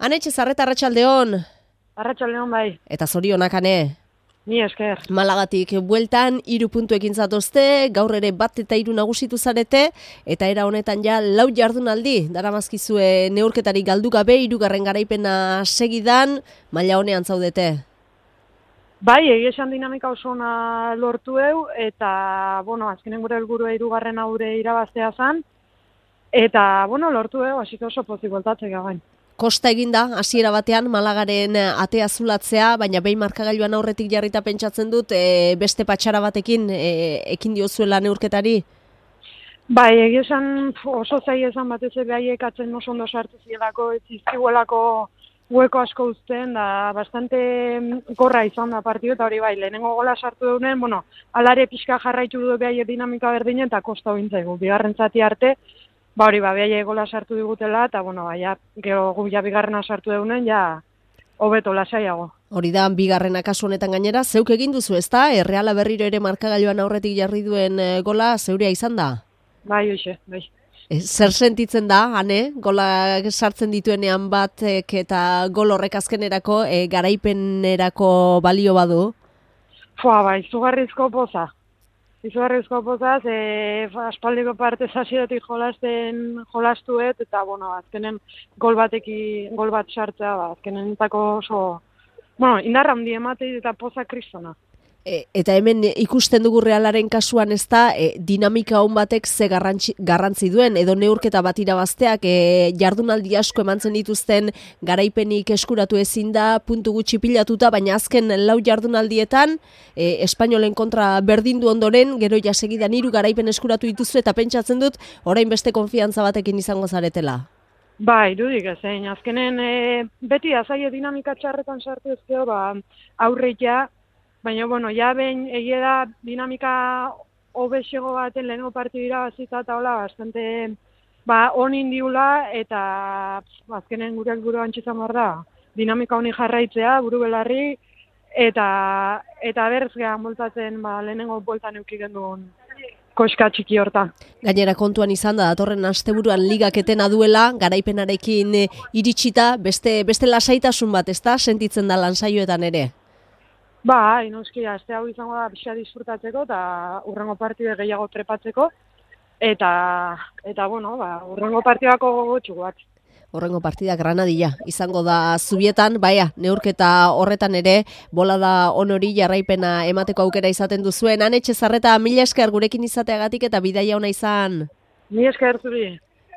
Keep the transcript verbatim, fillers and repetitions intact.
Anetxe Zarreta, arratsaldeon. Arratsaldeon bai. Eta zorionak, ane. Ni esker. Malagatik bueltan, hiru puntuekin zatozte, gaur ere bat eta hiru nagusitu zarete, eta era honetan ja lau jardunaldi, daramazkizue neurketari galdu gabe, hirugarren garaipena segidan, maila honean zaudete. Bai, egia esan dinamika oso ona lortu eu, eta, bueno, azkenen gure helburua hirugarren aurre irabaztea zan, eta, bueno, lortu eu, hasiko oso pozik bueltatzea gain. Kosta eginda, hasiera batean, Malagaren atea zulatzea, baina behin markagailuan aurretik jarrita pentsatzen dut, e, beste patxara batekin e, ekin diozuela neurketari? Bai, egia esan oso zaila esan batez ere haiek atzen oso ondo sartu zielako, ez izkiguelako hueko asko uzten, da bastante gorra izan da partidu, eta hori bai, lehenengo gola sartu dunen, bueno, alare pixka jarraitu du behaiek dinamika berdinen, eta kosta hointzaigu, bigarren zati arte, ba hori, ba, behaiek gola sartu digutela, eta bueno, ba, ja, gero gu ja bigarrena sartu dunen, ja, hobeto lasaiago. Hori da, bigarrena kasu honetan gainera, zeuk egin duzu, ezta? Erreala berriro ere markagailuan aurretik jarri duen gola zeurea izan da? Bai, hoxe, bai. Zer sentitzen da, ane, gola sartzen dituenean batek eta gol horrek azkenerako e, garaipenerako balio badu? Fua, bai, izugarrizko poza. Izugarrizko pozaz, e, aspaldiko parte zaziotik jolasten jolastuet, eta, bueno, azkenen gol bateki, gol bat sartzea, ba, azkenen entako oso, bueno, indarra handi ematei eta poza kristona. E, eta hemen ikusten dugu Realaren kasuan ez da, e, dinamika hon batek ze garrantzi, garrantzi duen, edo neurketa bat irabazteak e, jardunaldi asko emantzen dituzten garaipenik eskuratu ezin da, puntu gutxi pilatuta, baina azken lau jardunaldietan, e, Espainolen kontra berdindu ondoren, gero ja segidan hiru garaipen eskuratu dituzu, eta pentsatzen dut, orain beste konfiantza batekin izango zaretela. Bai, dudik ezein, azkenen e, beti azaie dinamika txarretan sartu ezkeo, ba, aurreitea, baina, bueno, ja behin egia da dinamika hobexego baten lehenengo partidu irabazita eta hola, bastante ba, onin diula, eta azkenen gure helburua antxizan behar da. Dinamika honi jarraitzea, buru belarri, eta, eta berzgean boltatzen ba, lehenengo boltan eukigen duen koska txiki hortan. Gainera kontuan izan da, datorren asteburuan ligak etena duela, garaipenarekin iritsita, beste, beste lasaitasun bat, ezta? Sentitzen da lansaioetan ere? Ba, inoski, aste hau izango da pixa disfrutatzeko eta urrengo partide gehiago trepatzeko, eta, eta bueno, ba, urrengo partidako gogotxu bat. Horrengo partida Granadilla izango da Zubietan, baia, neurketa horretan ere, bolada honori jarraipena emateko aukera izaten duzuen. Anetxe Zarreta, mila esker gurekin izateagatik eta bidaia ona izan. Mila esker zuri.